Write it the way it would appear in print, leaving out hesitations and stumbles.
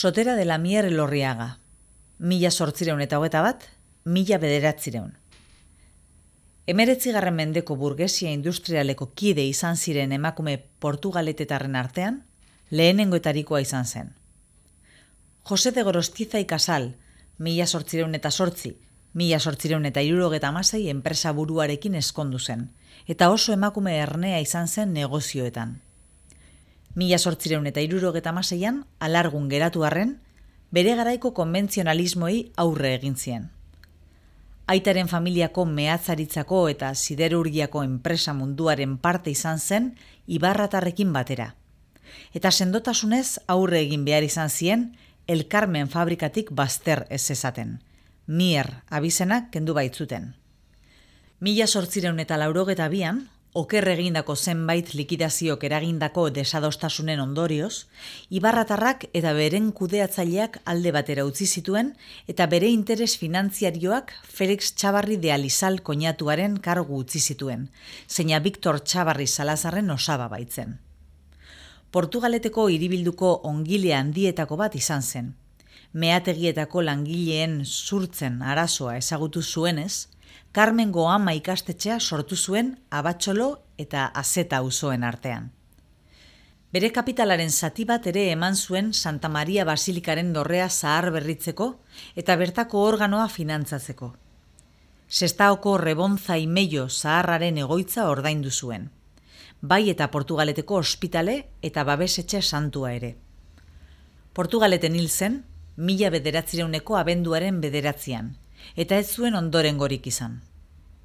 Sotera de la Mier Elorriaga, 1821, 1909. 19. mendeko burgesia industrialeko kide izan ziren emakume portugaletetarren artean, lehenengoetarikoa izan zen. Jose de Gorostiza y Casal, 1808, 1876 enpresa buruarekin eskondu zen, eta oso emakume ernea izan zen negozioetan. 1876an alargun geratu arren, bere garaiko konbentzionalismoei aurre egin zien. Aitaren familiako mehatzaritzako eta siderurgiako enpresa munduaren parte izan zen Ibarratarrekin batera. Eta sendotasunez aurre egin behar izan zien El Carmen fabrikatik bazter ez ezaten. Mier abizenak kendu baitzuten. 1882an, oker egindako zenbait likidaziok eragindako desadostasunen ondorioz, Ibarratarrak eta beren kudeatzaileak alde batera utzi zituen eta bere interes finantziarioak Felix Txabarri de Alizal koinatuaren kargu utzi zituen, zeina Victor Txabarri Salazarren osaba baitzen. Portugaleteko hiribilduko ongile handietako bat izan zen. Meategietako langileen zurtzen arazoa ezagutu zuenez, Carmengo ama ikastetxea sortu zuen Abatxolo eta Azeta auzoen artean. Bere kapitalaren zati bat ere eman zuen Santa Maria Basilikaren dorrea zahar berritzeko eta bertako organoa finantzatzeko. Sestaoko Rebonza Imello zaharraren egoitza ordaindu zuen. Bai eta Portugaleteko ospitale eta babesetxe santua ere. Portugaleten hil zen, 1900 abenduaren 9, eta ez zuen ondorengorik izan.